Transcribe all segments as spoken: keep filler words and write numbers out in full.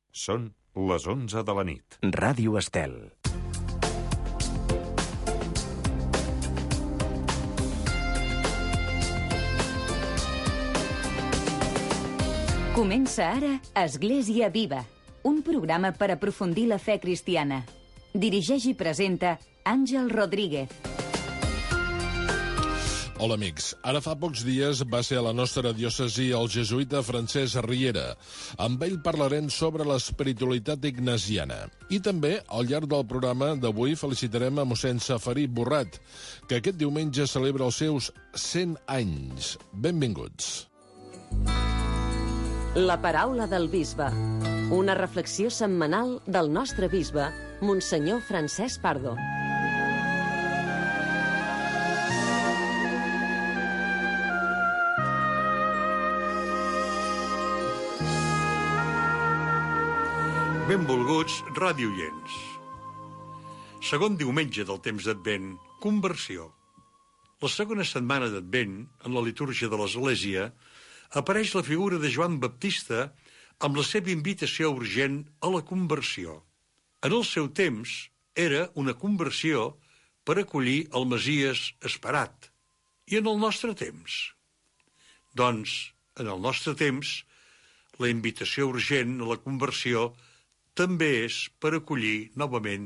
Són les onze de la nit. Ràdio Estel. Comença ara Església Viva, un programa per aprofundir la fe cristiana. Dirigeix i presenta Àngel Rodríguez. Hola, amics. Ara fa pocs dies va ser a la nostra diòcesi el jesuïta Francesc Riera. Amb ell parlarem sobre l'espiritualitat ignasiana. I també, al llarg del programa d'avui, felicitarem a mossèn Safarí Borrat, que aquest diumenge celebra els seus cent anys. Benvinguts. La paraula del bisbe. Una reflexió setmanal del nostre bisbe, Monsenyor Francesc Pardo. Benvolguts radioients. Segon diumenge del temps d'Advent, conversió. La segona setmana d'Advent, en la litúrgia de l'Església, apareix la figura de Joan Baptista amb la seva invitació urgent a la conversió. En el seu temps, era una conversió per acollir el Messies esperat. I en el nostre temps? Doncs, en el nostre temps, la invitació urgent a la conversió també és per acollir novament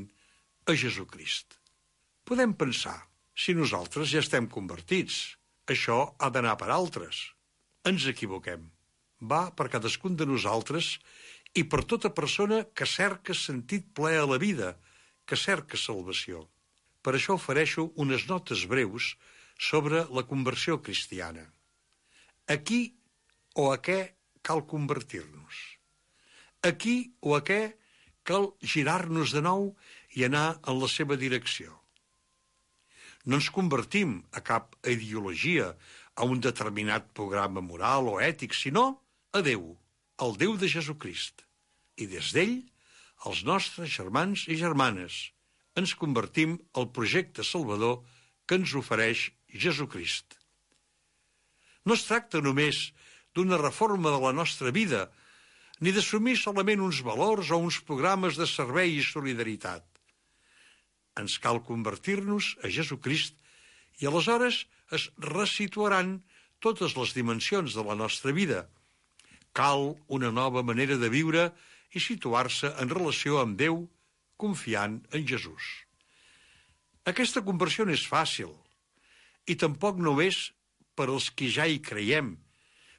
a Jesucrist. Podem pensar, si nosaltres ja estem convertits, això ha d'anar per altres. Ens equivoquem. Va per cadascun de nosaltres i per tota persona que cerca sentit ple a la vida, que cerca salvació. Per això ofereixo unes notes breus sobre la conversió cristiana. A qui o a què cal convertir-nos? A qui o a què cal girar-nos de nou i anar en la seva direcció? No ens convertim a cap ideologia, a un determinat programa moral o ètic, sinó a Déu, el Déu de Jesucrist. I des d'ell, els nostres germans i germanes, ens convertim al projecte salvador que ens ofereix Jesucrist. No es tracta només d'una reforma de la nostra vida, ni d'assumir solament uns valors o uns programes de servei i solidaritat. Ens cal convertir-nos a Jesucrist i aleshores es resituaran totes les dimensions de la nostra vida. Cal una nova manera de viure i situar-se en relació amb Déu, confiant en Jesús. Aquesta conversió no és fàcil, i tampoc no és per als qui ja hi creiem,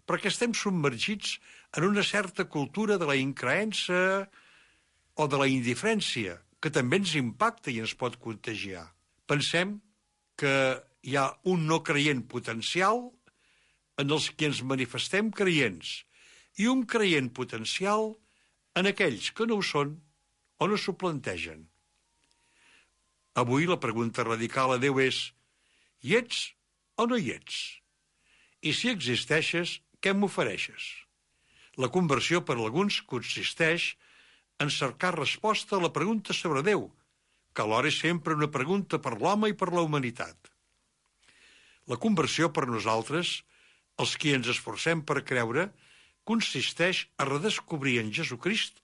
perquè estem submergits en una certa cultura de la increença o de la indiferència, que també ens impacta i ens pot contagiar. Pensem que hi ha un no creient potencial en els que ens manifestem creients i un creient potencial en aquells que no ho són o no s'ho plantegen. Avui la pregunta radical a Déu és: hi ets o no hi ets? I si existeixes, què m'ofereixes? La conversió per alguns consisteix en cercar resposta a la pregunta sobre Déu, que alhora és sempre una pregunta per l'home i per la humanitat. La conversió per nosaltres, els qui ens esforcem per creure, consisteix a redescobrir en Jesucrist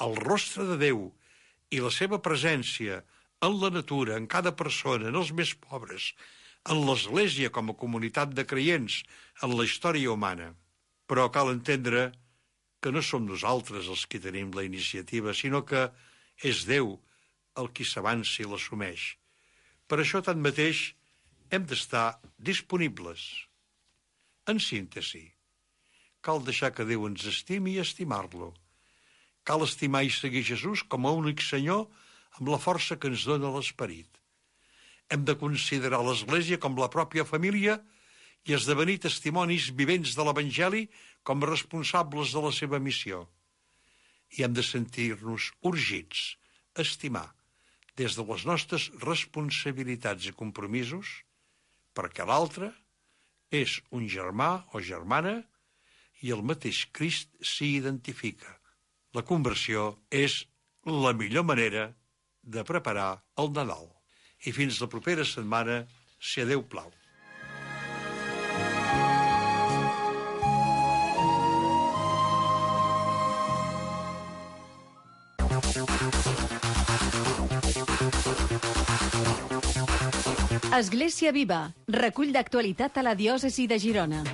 el rostre de Déu i la seva presència en la natura, en cada persona, en els més pobres, en l'Església com a comunitat de creients, en la història humana. Però cal entendre que no som nosaltres els qui tenim la iniciativa, sinó que és Déu el qui s'avança i l'assumeix. Per això, tanmateix, hem d'estar disponibles. En síntesi, cal deixar que Déu ens estimi i estimar-lo. Cal estimar i seguir Jesús com a únic Senyor amb la força que ens dona l'Esperit. Hem de considerar l'Església com la pròpia família i esdevenir testimonis vivents de l'Evangeli com a responsables de la seva missió. I hem de sentir-nos urgits a estimar des de les nostres responsabilitats i compromisos, perquè l'altre és un germà o germana i el mateix Crist s'hi identifica. La conversió és la millor manera de preparar el Nadal. I fins la propera setmana, si a Déu plau. Església Viva, recull d'actualitat a la diòcesi de Girona.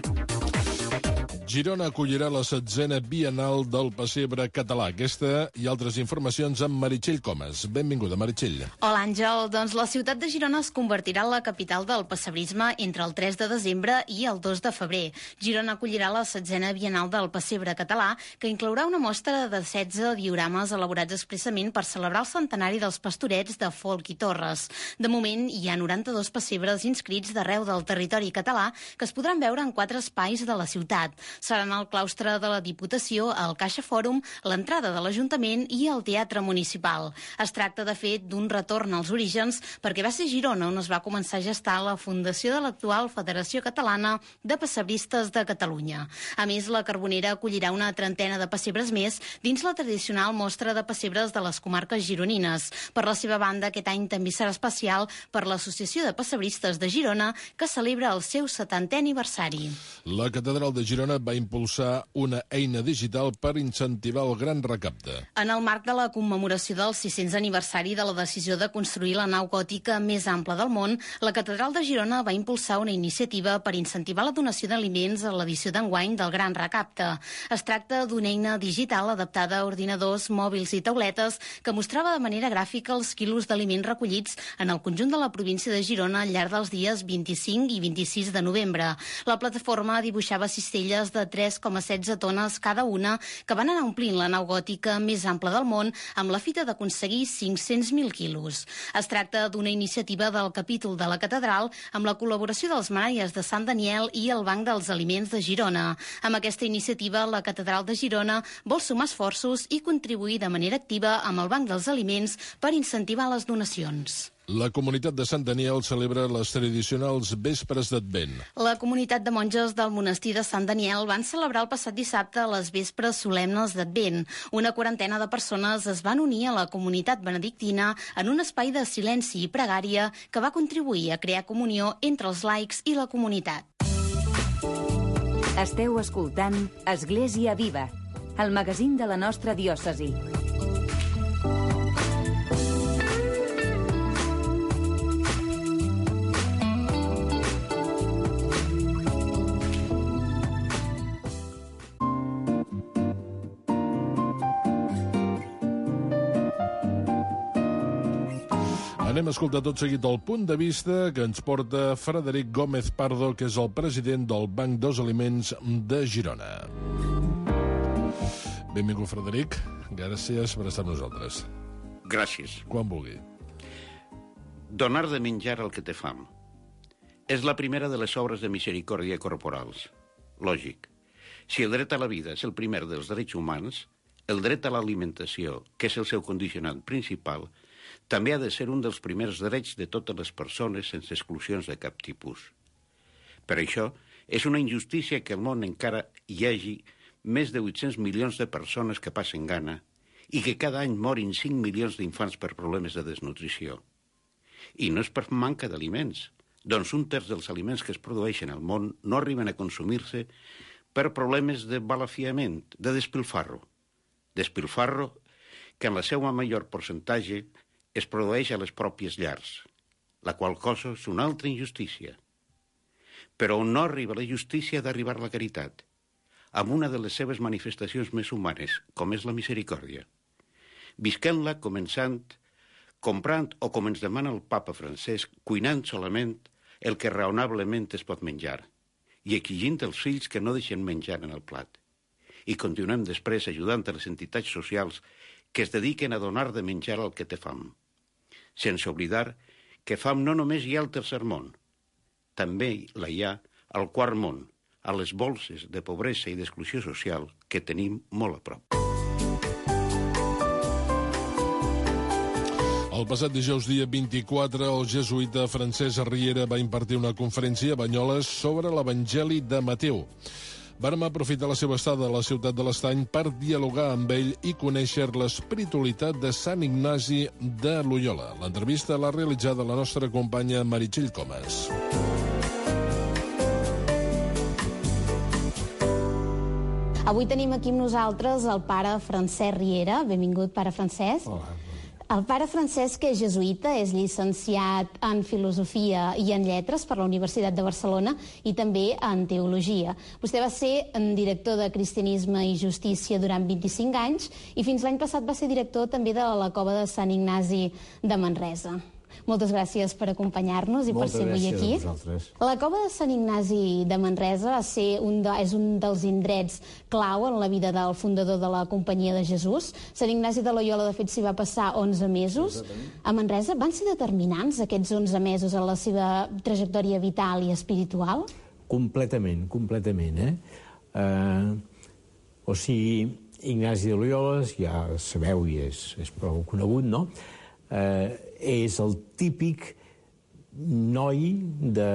Girona acollirà la setzena Bienal del Pessebre Català. Aquesta i altres informacions amb Meritxell Comas. Benvinguda, Meritxell. Hola, Àngel. Doncs la ciutat de Girona es convertirà en la capital del pessebrisme entre el tres de desembre i el dos de febrer. Girona acollirà la setzena Bienal del Pessebre Català, que inclourà una mostra de setze diorames elaborats expressament per celebrar el centenari dels pastorets de Folc i Torres. De moment, hi ha noranta-dos pessebres inscrits d'arreu del territori català que es podran veure en quatre espais de la ciutat. Seran el claustre de la Diputació, el Caixa Fòrum, l'entrada de l'Ajuntament i el Teatre Municipal. Es tracta, de fet, d'un retorn als orígens perquè va ser Girona on es va començar a gestar la fundació de l'actual Federació Catalana de Pessebristes de Catalunya. A més, la Carbonera acollirà una trentena de pessebres més dins la tradicional mostra de pessebres de les comarques gironines. Per la seva banda, aquest any també serà especial per l'Associació de Pessebristes de Girona, que celebra el seu setantè aniversari. La Catedral de Girona va impulsar una eina digital per incentivar el gran recapte. En el marc de la commemoració del sis-cents aniversari de la decisió de construir la nau gòtica més ampla del món, la Catedral de Girona va impulsar una iniciativa per incentivar la donació d'aliments a l'edició d'enguany del gran recapte. Es tracta d'una eina digital adaptada a ordinadors, mòbils i tauletes que mostrava de manera gràfica els quilos d'aliments recollits en el conjunt de la província de Girona al llarg dels dies vint-i-cinc i vint-i-sis de novembre. La plataforma dibuixava cistelles de tres coma setze tones cada una que van anar omplint la nau gòtica més ampla del món amb la fita d'aconseguir cinc-cents mil quilos. Es tracta d'una iniciativa del capítol de la catedral amb la col·laboració dels Manaies de Sant Daniel i el Banc dels Aliments de Girona. Amb aquesta iniciativa, la Catedral de Girona vol sumar esforços i contribuir de manera activa amb el Banc dels Aliments per incentivar les donacions. La comunitat de Sant Daniel celebra les tradicionals vespres d'Advent. La comunitat de monges del monestir de Sant Daniel van celebrar el passat dissabte les vespres solemnes d'Advent. Una quarantena de persones es van unir a la comunitat benedictina en un espai de silenci i pregària que va contribuir a crear comunió entre els laics i la comunitat. Esteu escoltant Església Viva, el magazín de la nostra diòcesi. Anem a escoltar tot seguit el punt de vista que ens porta Frederic Gómez Pardo, que és el president del Banc dels Aliments de Girona. Benvingut, Frederic. Gràcies per estar amb nosaltres. Gràcies. Quan vulgui. Donar de menjar al que té fam. És la primera de les obres de misericòrdia corporals. Lògic. Si el dret a la vida és el primer dels drets humans, el dret a l'alimentació, que és el seu condicionant principal, també ha de ser un dels primers drets de totes les persones sense exclusions de cap tipus. Per això, és una injustícia que al món encara hi hagi més de vuit-cents milions de persones que passen gana i que cada any morin cinc milions d'infants per problemes de desnutrició. I no és per manca d'aliments, doncs un terç dels aliments que es produeixen al món no arriben a consumir-se per problemes de balafiament, de despilfarro. Despilfarro que en la seva major percentatge es produeix a les pròpies llars, la qual cosa és una altra injustícia. Però on no arriba la justícia ha d'arribar la caritat, amb una de les seves manifestacions més humanes, com és la misericòrdia. Visquem-la començant, comprant o com ens demana el papa Francesc, cuinant solament el que raonablement es pot menjar i exigint als fills que no deixen menjar en el plat. I continuem després ajudant a les entitats socials que es dediquen a donar de menjar al que té fam. Sense oblidar que fam no només hi ha al tercer món, també la hi ha al quart món, a les bolses de pobresa i d'exclusió social que tenim molt a prop. El passat dijous dia vint-i-quatre, el jesuïta Francesc Riera va impartir una conferència a Banyoles sobre l'Evangeli de Mateu. Vàrem aprofitar la seva estada a la ciutat de l'Estany per dialogar amb ell i conèixer l'espiritualitat de Sant Ignasi de Loyola. L'entrevista l'ha realitzada la nostra companya Meritxell Comas. Avui tenim aquí amb nosaltres el pare Francesc Riera. Benvingut, pare Francesc. Hola. El pare Francesc és jesuïta, és llicenciat en Filosofia i en Lletres per la Universitat de Barcelona i també en Teologia. Vostè va ser director de Cristianisme i Justícia durant vint-i-cinc anys i fins l'any passat va ser director també de la Cova de Sant Ignasi de Manresa. Moltes gràcies per acompanyar-nos i per ser avui aquí. Moltes gràcies a vosaltres. La Cova de Sant Ignasi de Manresa va ser un de, és un dels indrets clau en la vida del fundador de la Companyia de Jesús. Sant Ignasi de Loyola, de fet, s'hi va passar onze mesos. A Manresa van ser determinants aquests onze mesos en la seva trajectòria vital i espiritual? Completament, completament, eh? Uh, o sigui, Ignasi de Loyola, ja sabeu i és, és prou conegut, no? Uh, és el típic noi de...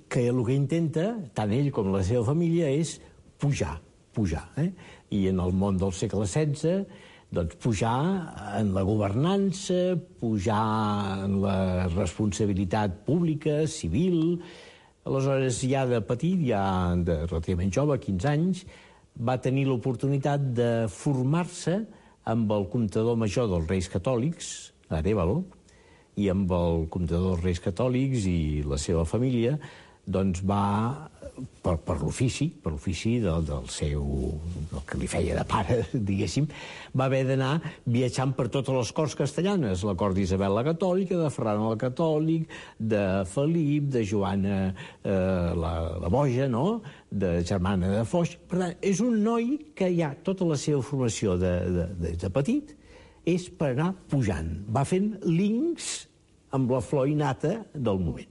que el que intenta, tant ell com la seva família, és pujar, pujar. Eh? I en el món del segle setze, doncs pujar en la governança, pujar en la responsabilitat pública, civil. Aleshores, ja de petit, ja de relativament jove, quinze anys, va tenir l'oportunitat de formar-se amb el comptador major dels Reis Catòlics, Arévalo, i amb el comptador dels Reis Catòlics i la seva família, doncs va, per, per l'ofici, per l'ofici del, del seu, del que li feia de pare, diguéssim, va haver d'anar viatjant per totes les corts castellanes, la cort d'Isabel la Catòlica, de Ferran el Catòlic, de Felip, de Joana eh, la, la Boja, no?, de Germana de Foix. Per tant, és un noi que ja tota la seva formació de, de, de, de petit és per anar pujant. Va fent links amb la flor innata del moment.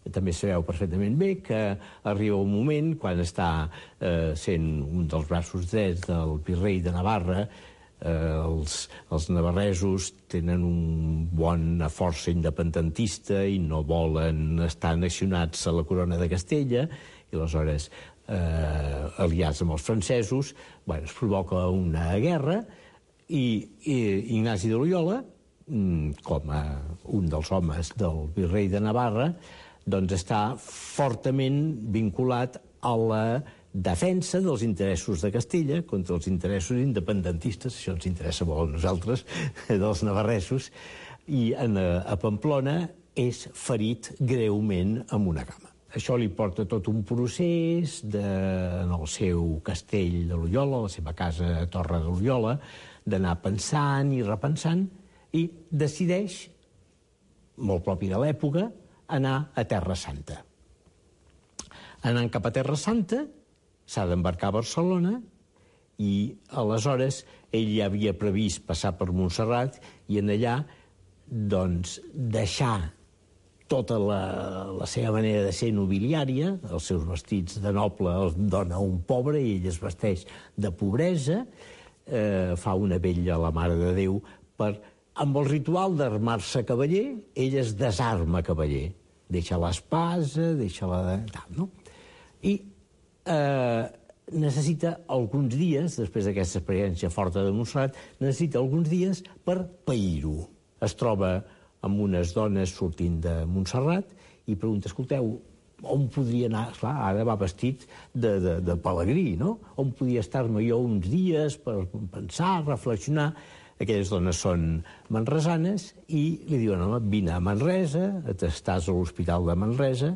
També sabeu perfectament bé que arriba un moment, quan està eh, sent un dels braços drets del virrei de Navarra, eh, els, els navarresos tenen un bona força independentista i no volen estar annexionats a la corona de Castella, i aleshores, eh, aliats amb els francesos, bueno, es provoca una guerra, i, i Ignasi de Loyola, com a un dels homes del virrei de Navarra, doncs està fortament vinculat a la defensa dels interessos de Castella contra els interessos independentistes, això ens interessa molt a nosaltres, dels navarresos, i en, a Pamplona és ferit greument amb una cama. Això li porta tot un procés de, en el seu castell de Loyola, la seva casa a Torre de Loyola, d'anar pensant i repensant, i decideix, molt propi de l'època, anar a Terra Santa. Anant cap a Terra Santa, s'ha d'embarcar a Barcelona i, aleshores, ell ja havia previst passar per Montserrat i en allà, doncs, deixar tota la, la seva manera de ser nobiliària, els seus vestits de noble els dona un pobre i ell es vesteix de pobresa, eh, fa una vetlla a la Mare de Déu per... Amb el ritual d'armar-se cavaller, ell es desarma cavaller. Deixa l'espasa, deixa la... Tal, no? I eh, necessita alguns dies, després d'aquesta experiència forta de Montserrat, necessita alguns dies per pair-ho. Es troba amb unes dones sortint de Montserrat i pregunta, escolteu, on podria anar? Clar, ara va vestit de, de, de pelegrí, no? On podia estar-me jo uns dies per pensar, reflexionar... Aquelles dones són manresanes i li diuen, home, vine a Manresa, estàs a l'Hospital de Manresa.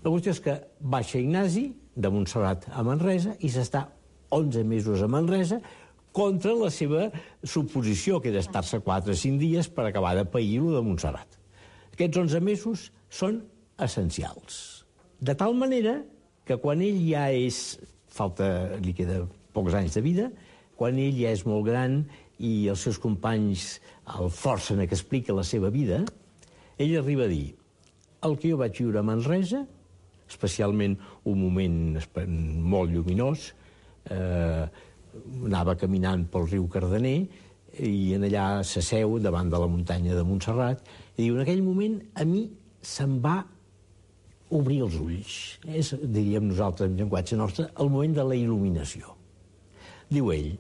La qüestió és que baixa Ignasi de Montserrat a Manresa i s'està onze mesos a Manresa contra la seva suposició, que era estar-se quatre o cinc dies per acabar de pair-ho de Montserrat. Aquests onze mesos són essencials. De tal manera que quan ell ja és... falta, li queda pocs anys de vida, quan ell ja és molt gran i els seus companys el forcen a que expliqui la seva vida, ell arriba a dir, el que jo vaig viure a Manresa, especialment un moment molt lluminós, eh, anava caminant pel riu Cardener i en allà s'asseu davant de la muntanya de Montserrat i diu, en aquell moment a mi se'm va obrir els ulls. És, diríem nosaltres, en llenguatge nostre, el moment de la il·luminació. Diu ell,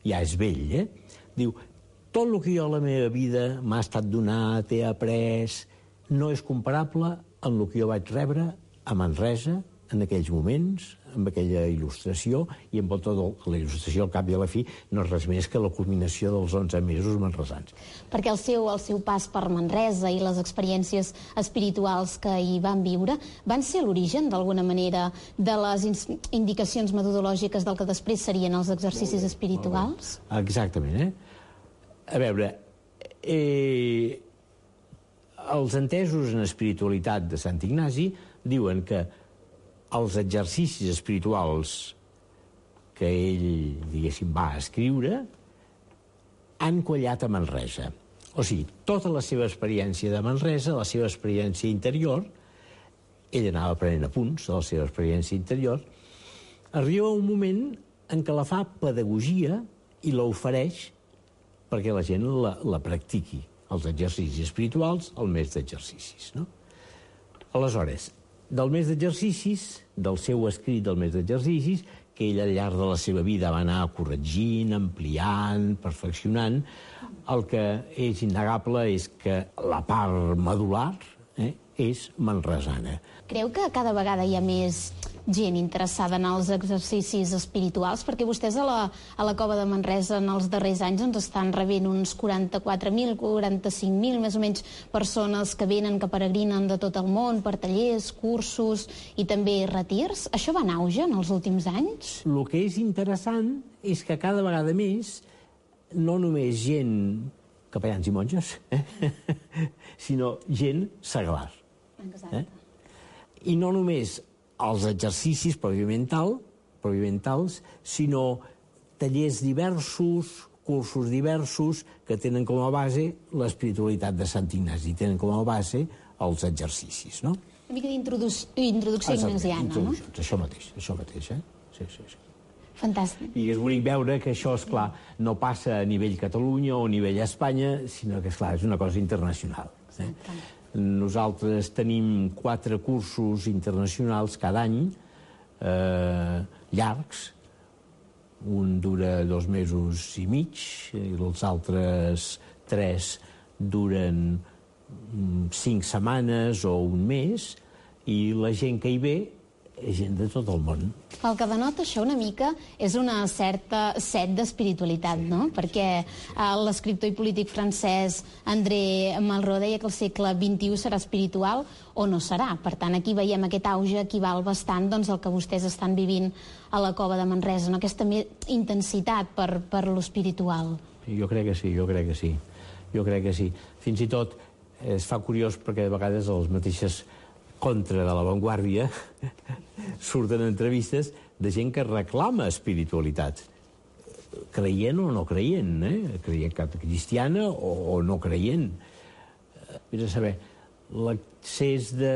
ja és vell, eh? Diu, tot el que jo a la meva vida m'ha estat donat, he après, no és comparable amb el que jo vaig rebre a Manresa, en aquells moments, amb aquella il·lustració, i amb tota la il·lustració al cap i a la fi no és res més que la culminació dels onze mesos manresans. Perquè el seu, el seu pas per Manresa i les experiències espirituals que hi van viure van ser l'origen, d'alguna manera, de les indicacions metodològiques del que després serien els exercicis espirituals? Exactament, eh? A veure, eh, els entesos en espiritualitat de Sant Ignasi diuen que els exercicis espirituals que ell, diguéssim, va escriure han quallat a Manresa. O sigui, tota la seva experiència de Manresa, la seva experiència interior, ell anava prenent apunts de la seva experiència interior, arriba un moment en què la fa pedagogia i l'ofereix perquè la gent la, la practiqui, els exercicis espirituals, el mes d'exercicis, no? Aleshores, del mes d'exercicis, del seu escrit del mes d'exercicis, que ell al llarg de la seva vida va anar corregint, ampliant, perfeccionant, el que és innegable és que la part medular eh, és manresana. Creu que cada vegada hi ha més gent interessada en els exercicis espirituals? Perquè vostès a la, a la Cova de Manresa en els darrers anys ens estan rebent uns quaranta-quatre mil, quaranta-cinc mil, més o menys, persones que venen, que peregrinen de tot el món per tallers, cursos i també retirs. Això va en auge en els últims anys? El que és interessant és que cada vegada més, no només gent capellans i monges, eh? sinó gent seglar. Exacte. Eh? I no només els exercicis propiamental, propiamentals, sinó tallers diversos, cursos diversos, que tenen com a base l'espiritualitat de Sant Ignasi, tenen com a base els exercicis, no? Una mica d'introducció ignasiana, no? Això mateix, això mateix, eh? Sí, sí, sí. Fantàstic. I és bonic veure que això, és clar, no passa a nivell Catalunya o a nivell Espanya, sinó que, és clar, és una cosa internacional. Eh? Nosaltres tenim quatre cursos internacionals cada any, eh, llargs. Un dura dos mesos i mig, i els altres tres duren cinc setmanes o un mes, i la gent que hi ve és gent de tot el món. El que denota això una mica és una certa set d'espiritualitat, no? Perquè eh, l'escriptor i polític francès André Malraux deia que el segle vint-i-u serà espiritual o no serà. Per tant, aquí veiem aquest auge equival bastant doncs, al que vostès estan vivint a la Cova de Manresa, no? Aquesta intensitat per, per l'espiritual. Jo crec que sí, jo crec que sí. Jo crec que sí. Fins i tot es fa curiós perquè a vegades les mateixes contra de l'avantguàrdia surten entrevistes de gent que reclama espiritualitat, creient o no creient, eh? creient cristiana o, o no creient. Vés a saber, l'accés de,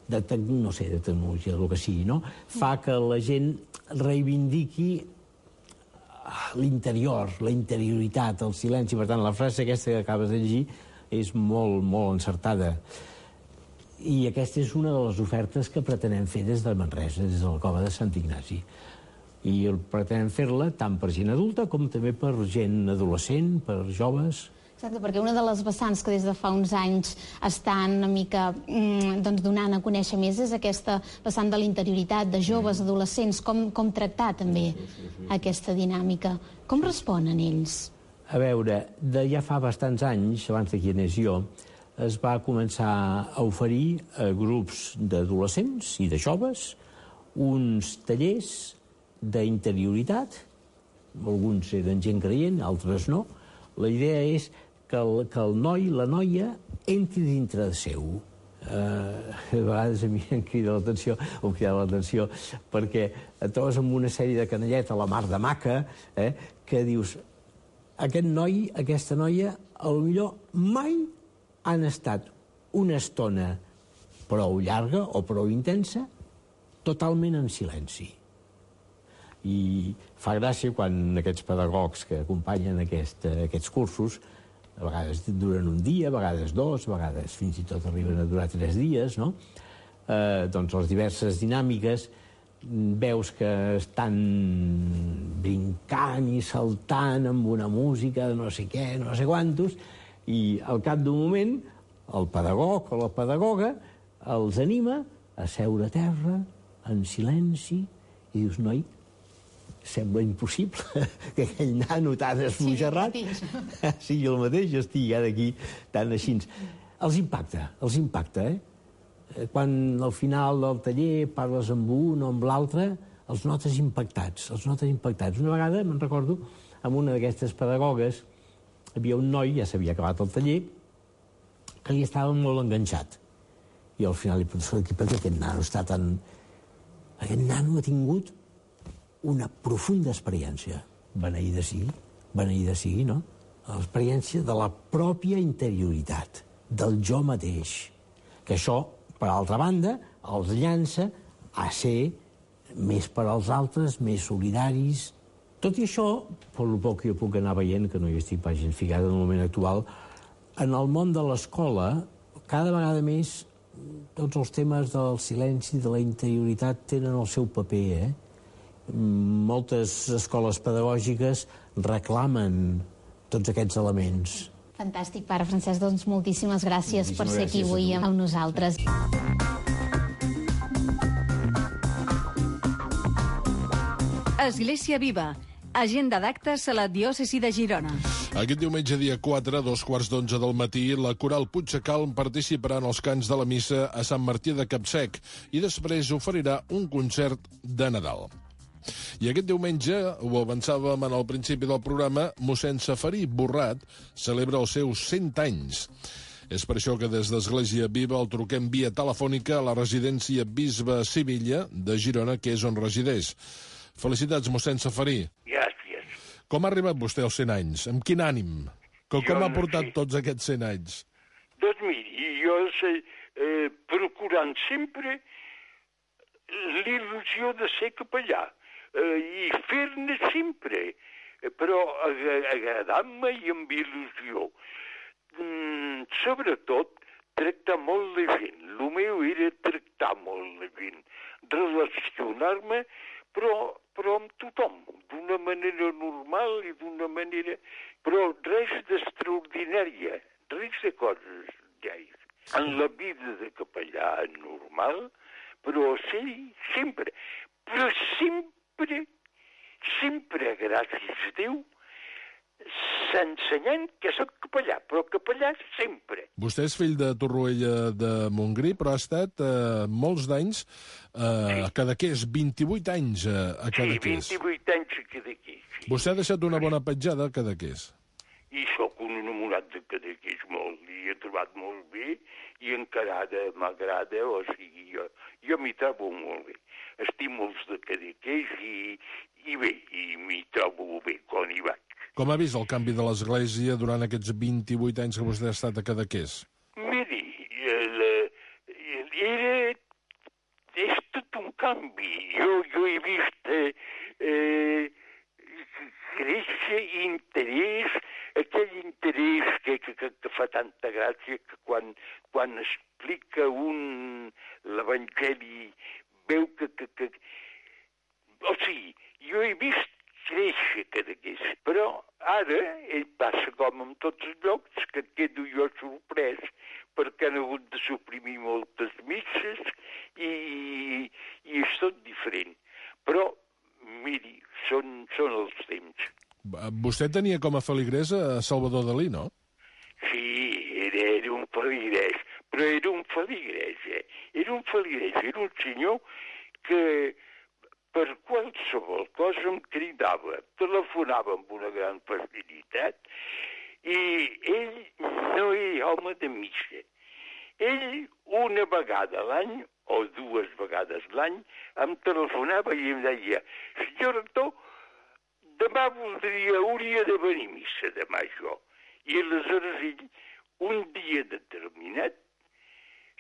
de, no sé, de tecnologia, del que sigui, no? fa que la gent reivindiqui l'interior, la interioritat, el silenci. Per tant, la frase aquesta que acabes de llegir és molt, molt encertada. I aquesta és una de les ofertes que pretenem fer des de Manresa, des de la Cova de Sant Ignasi. I pretenem fer-la tant per gent adulta com també per gent adolescent, per joves. Exacte, perquè una de les vessants que des de fa uns anys estan una mica mm, doncs donant a conèixer més és aquesta vessant de l'interioritat, de joves, adolescents, com, com tractar també aquesta dinàmica. Com responen ells? A veure, de ja fa bastants anys, abans de qui anés jo, es va començar a oferir a grups d'adolescents i de joves uns tallers d'interioritat. Alguns eren gent creient, altres no. La idea és que el, que el noi, la noia, entri dintre de seu. Uh, a vegades a mi em crida l'atenció, em crida l'atenció, perquè et trobes amb una sèrie de canalleta a la mar de maca, eh, que dius, aquest noi, aquesta noia, potser mai han estat una estona prou llarga o prou intensa, totalment en silenci. I fa gràcia quan aquests pedagogs que acompanyen aquest, aquests cursos, a vegades duren un dia, a vegades dos, a vegades fins i tot arriben a durar tres dies, no? Eh, doncs les diverses dinàmiques veus que estan brincant i saltant amb una música de no sé què, no sé quantos, i al cap d'un moment el pedagog o la pedagoga els anima a seure a terra, en silenci, i dius, noi, sembla impossible que aquell nano tan esbojarrat sigui el mateix, jo estigui ara aquí tan així. Els impacta, els impacta, eh? Quan al final del taller parles amb un o amb l'altre, els notes impactats, els notes impactats. Una vegada, me'n recordo, amb una d'aquestes pedagogues, havia un noi, ja s'havia acabat el taller, que li estava molt enganxat. I al final li penso, per què aquest nano està tan... Aquest nano ha tingut una profunda experiència. Beneïda sigui, beneïda sigui, no? L'experiència de la pròpia interioritat, del jo mateix. Que això, per altra banda, els llança a ser més per als altres, més solidaris. Tot i això, per lo poc que jo puc anar veient, que no hi estic pas gens ficat en el moment actual, en el món de l'escola, cada vegada més tots els temes del silenci, de la interioritat, tenen el seu paper, eh? Moltes escoles pedagògiques reclamen tots aquests elements. Fantàstic, pare Francesc, doncs moltíssimes gràcies per ser aquí avui amb nosaltres. Església Viva, agenda d'actes a la diòcesi de Girona. Aquest diumenge, dia quatre, a dos quarts d'onze del matí, la coral Puigdecalm participarà en els cants de la missa a Sant Martí de Capsec i després oferirà un concert de Nadal. I aquest diumenge, ho avançàvem en el principi del programa, mossèn Safarí Borrat celebra els seus cent anys. És per això que des d'Església Viva el truquem via telefònica a la residència Bisbe Sivilla de Girona, que és on resideix. Felicitats, mossèn Safarí. Gràcies. Com ha arribat vostè als cent anys? Amb quin ànim? Com, com no ha portat sé. tots aquests cent anys? Doncs miri, jo sé, eh, procurant sempre l'il·lusió de ser capellà eh, i fer-ne sempre, però ag agradant-me i amb il·lusió. Mm, sobretot, tractar molt de gent. El meu era tractar molt de gent, relacionar-me, però, però amb tothom, d'una manera normal i d'una manera... Però res d'extraordinària, res de coses lleis. En la vida de capellà normal, però sí, sempre, però sempre, sempre, gràcies a Déu, s'ensenyant que soc capellà, però capellà sempre. Vostè és fill de Torroella de Montgrí, però ha estat eh, molts d'anys eh, sí. a Cadaqués, vint-i-vuit anys a, a Cadaqués. Sí, vint-i-vuit anys a Cadaqués. Sí. Vostè ha deixat una bona petjada a Cadaqués. I sóc un enamorat de Cadaqués molt, i he trobat molt bé, i encara m'agrada, o sigui, jo, jo m'hi trobo molt bé. Estic molts de Cadaqués i, i bé, i m'hi trobo bé quan hi vaig. Com ha vist el canvi de l'Església durant aquests vint-i-vuit anys que vostè ha estat a Cadaqués? Miri, el, era... és tot un canvi. Jo, jo he vist eh, eh, créixer interès, aquell interès que, que, que, que fa tanta gràcia que quan, quan explica un l'Evangeli veu que, que, que... O sigui, jo he vist créixer Cadaqués, però ara ell passa com en tots els llocs que quedo jo sorprès perquè han hagut de suprimir moltes misses i, i és tot diferent. Però, miri, són, són els temps. Vostè tenia com a feligrès a Salvador Dalí, no? Sí, era, era un feligrès, però era un feligrès, eh? Era un feligrès, era un senyor que... per qualsevol cosa em cridava, telefonava amb una gran facilitat i ell no era home de missa. Ell una vegada a l'any, o dues vegades l'any, em telefonava i em deia senyor rector, demà voldria, hauria de venir a missa demà jo. I aleshores ell, un dia determinat,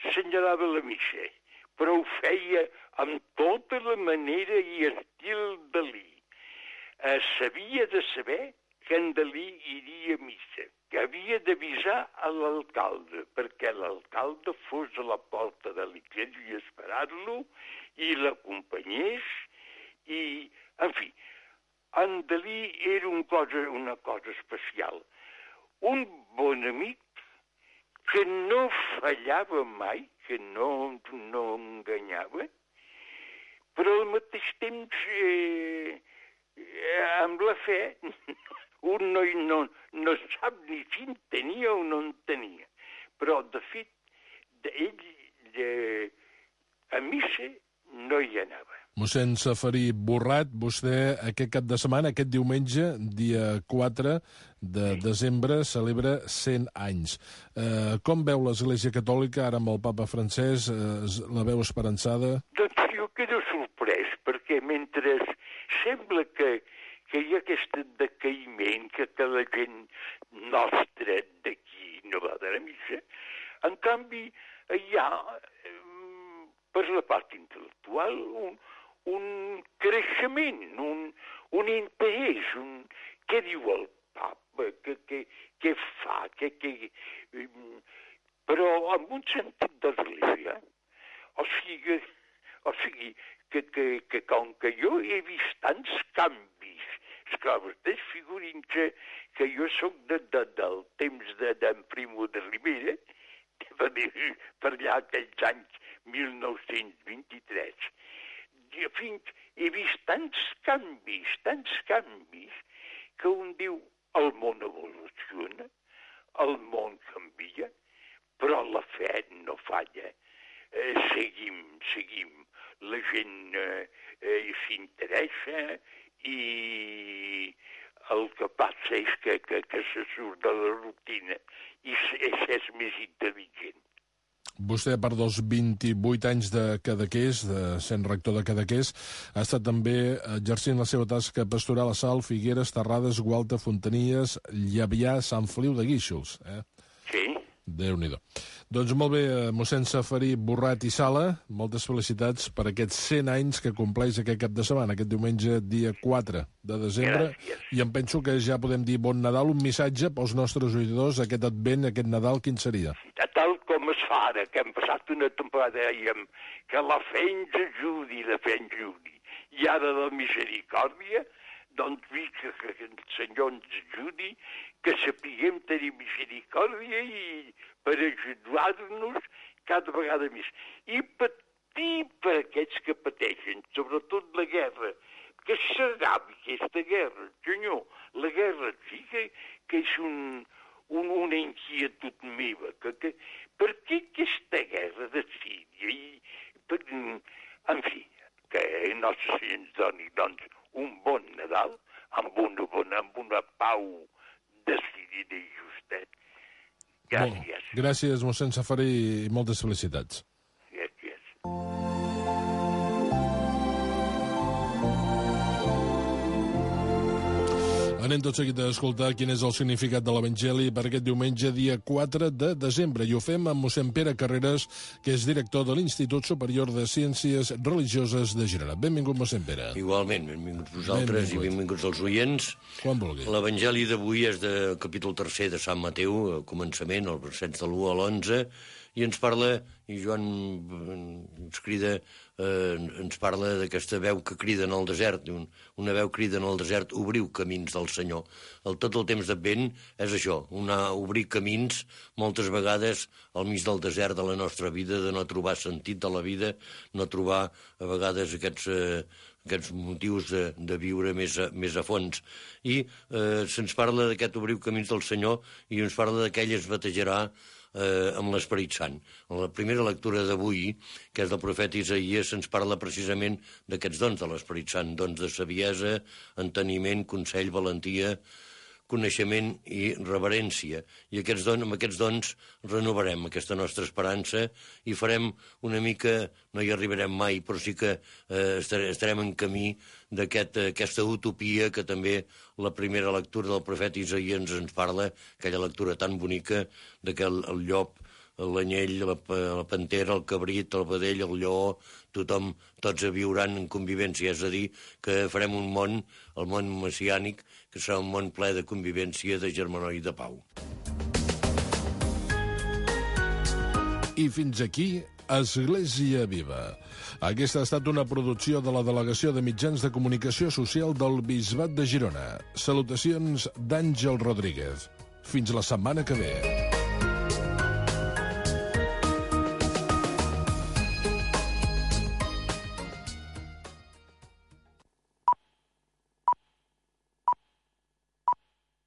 senyalava la missa, però ho feia amb tota la manera i estil Dalí. Eh, s'havia de saber que en Dalí iria a missa, que havia d'avisar a l'alcalde, perquè l'alcalde fos a la porta de l'església a esperar-lo i l'acompanyés, i, en fi, en Dalí era un cosa, una cosa especial. Un bon amic que no fallava mai, que no, no enganyava, però al mateix temps, eh, amb la fe, un no, no, no sap ni si en tenia o no en tenia. Però, de fet, ell de, a missa no hi anava. Mossèn Safarí Borrat, vostè aquest cap de setmana, aquest diumenge, dia quatre de desembre, celebra cent anys. Eh, com veu l'Església Catòlica, ara amb el papa Francesc, eh, la veu esperançada? Doncs jo quedo sorprès, perquè mentre sembla que, que hi ha aquest decaïment, que, que la gent nostra d'aquí no va de la missa, en canvi hi ha, per la part intel·lectual, un, un creixement, un, un interès, un... Què diu el papa, què, què, què fa, què, què... Però en un sentit d'església, o sigui, o sigui que, que, que com que jo he vist tants canvis, esclar, vostès figurin-se que jo sóc de, de, del temps d'en de, Primo de Rivera, per allà aquells anys mil nou-cents vint-i-tres. Jo fins he vist tants canvis, tants canvis, que un diu, el món evoluciona, el món canvia, però la fe no falla. Eh, seguim, seguim. La gent eh, eh, s'interessa i el que passa és que, que, que se surt de la rutina i és més intel·ligent. Vostè, a part dels vint-i-vuit anys de Cadaqués, de sent rector de Cadaqués, ha estat també exercint la seva tasca pastoral a Salt, Figueres, Terrades, Gualta, Fontanies, Llevià, Sant Feliu de Guíxols. Eh? Sí. Déu-n'hi-do. Doncs molt bé, mossèn Safarí Borrat i Sala, moltes felicitats per aquests cent anys que compleix aquest cap de setmana, aquest diumenge, dia quatre de desembre. Gràcies. I em penso que ja podem dir bon Nadal, un missatge pels nostres oïdors, aquest advent, aquest Nadal, quin seria? Tal com es fa ara, que hem passat una temporada, dèiem, que la fe ens ajudi, la fe ens ajudi. I ara la misericòrdia, doncs vi que, que el Senyor ens ajudi, que sapiguem tenir misericòrdia i per ajudar-nos cada vegada més. I patir per aquests que pateixen, sobretot la guerra, que s'acabi aquesta guerra, senyor. La guerra sí que, que és un, un, una inquietud meva, que, que, per què aquesta guerra de Síria? I, per, en fi, que Nostre Senyor ens doni doncs, un bon Nadal amb una, bona, amb una pau decidida i justa. Gràcies. Bon, gràcies, mossèn Safarí, i moltes felicitats. Gràcies. Anem tot seguit a escoltar quin és el significat de l'Evangeli per aquest diumenge, dia quatre de desembre. I ho fem amb mossèn Pere Carreras, que és director de l'Institut Superior de Ciències Religioses de Girona. Benvingut, mossèn Pere. Igualment, benvinguts vosaltres Benvingut. i benvinguts els oients. Quan vulgui. L'Evangeli d'avui és del capítol tercer de Sant Mateu, al començament, els versets de l'u a l'onze, i ens parla, i Joan ens crida, eh, ens parla d'aquesta veu que crida en el desert, un, una veu crida en el desert, obriu camins del Senyor. El, tot el temps d'Advent és això, una, obrir camins, moltes vegades al mig del desert de la nostra vida, de no trobar sentit de la vida, no trobar a vegades aquests... Eh, aquests motius de, de viure més a, més a fons. I eh, se'ns parla d'aquest obriu camins del Senyor i ens parla d'aquell es batejarà eh, amb l'Esperit Sant. En la primera lectura d'avui, que és del profeta Isaïes, se'ns parla precisament d'aquests dons de l'Esperit Sant, dons de saviesa, enteniment, consell, valentia, coneixement i reverència. I aquests dons, amb aquests dons renovarem aquesta nostra esperança i farem una mica, no hi arribarem mai, però sí que eh, estarem en camí d'aquesta aquest, utopia que també la primera lectura del profeta Isaïes ens parla, aquella lectura tan bonica de que el, el llop, l'anyell, la, la pantera, el cabrit, el vedell, el lleó, tothom, tots viuran en convivència, és a dir, que farem un món, el món messiànic, que serà un món ple de convivència, de germanor i de pau. I fins aquí, Església Viva. Aquesta ha estat una producció de la Delegació de Mitjans de Comunicació Social del Bisbat de Girona. Salutacions d'Àngel Rodríguez. Fins la setmana que ve.